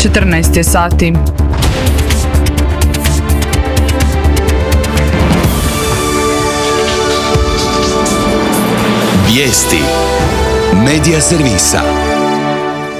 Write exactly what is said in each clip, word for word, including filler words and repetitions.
četrnaest je sati. Vijesti Medija servisa.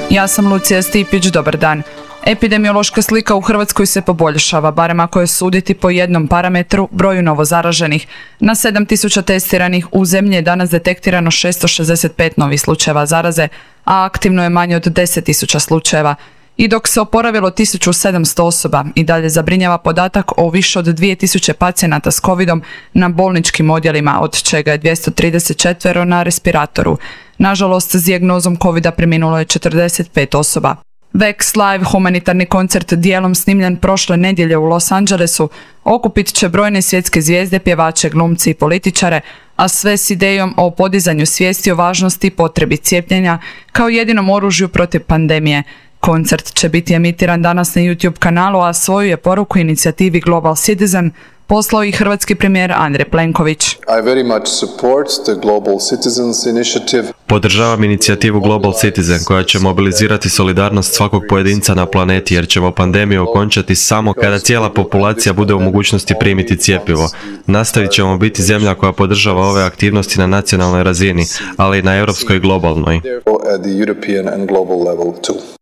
Ja sam Lucija Stipić, dobar dan. Epidemiološka slika u Hrvatskoj se poboljšava, barem ako je suditi po jednom parametru, broju novozaraženih. Na sedam tisuća testiranih u zemlji je danas detektirano šesto šezdeset pet novih slučajeva zaraze, a aktivno je manje od deset tisuća slučajeva. I dok se oporavilo tisuću sedamsto osoba, i dalje zabrinjava podatak o više od dvije tisuće pacijenata s covidom na bolničkim odjelima, od čega je dvjesto trideset četiri na respiratoru. Nažalost, s dijagnozom covida preminulo je četrdeset pet osoba. Vex Live, humanitarni koncert dijelom snimljen prošle nedjelje u Los Angelesu, okupit će brojne svjetske zvijezde, pjevače, glumci i političare, a sve s idejom o podizanju svijesti o važnosti i potrebi cijepljenja kao jedinom oružju protiv pandemije. Koncert će biti emitiran danas na YouTube kanalu, a svoju je poruku inicijativi Global Citizen poslao i hrvatski premijer Andrej Plenković. I very much support the Global Citizens Initiative. Podržavam inicijativu Global Citizen koja će mobilizirati solidarnost svakog pojedinca na planeti, jer ćemo pandemiju okončati samo kada cijela populacija bude u mogućnosti primiti cjepivo. Nastavit ćemo biti zemlja koja podržava ove aktivnosti na nacionalnoj razini, ali i na europskoj i globalnoj.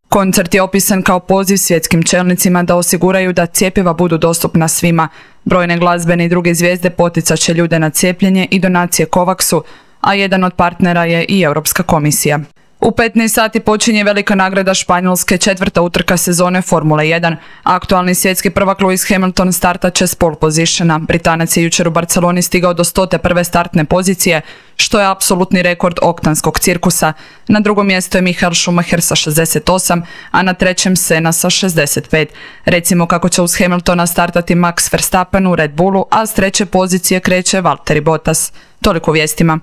Koncert je opisan kao poziv svjetskim čelnicima da osiguraju da cjepiva budu dostupna svima. Brojne glazbene i druge zvijezde poticat će ljude na cijepljenje i donacije Covaxu, a jedan od partnera je i Europska komisija. U petnaest sati počinje velika nagrada Španjolske, četvrta utrka sezone Formule jedan. Aktualni svjetski prvak Lewis Hamilton startat će s pole positiona. Britanac je jučer u Barceloni stigao do sto prve startne pozicije, što je apsolutni rekord oktanskog cirkusa. Na drugom mjestu je Michael Schumacher sa šezdeset osam, a na trećem Senna sa šezdeset pet. Recimo kako će uz Hamiltona startati Max Verstappen u Red Bullu, a s treće pozicije kreće Valtteri Bottas. Toliko u vijestima.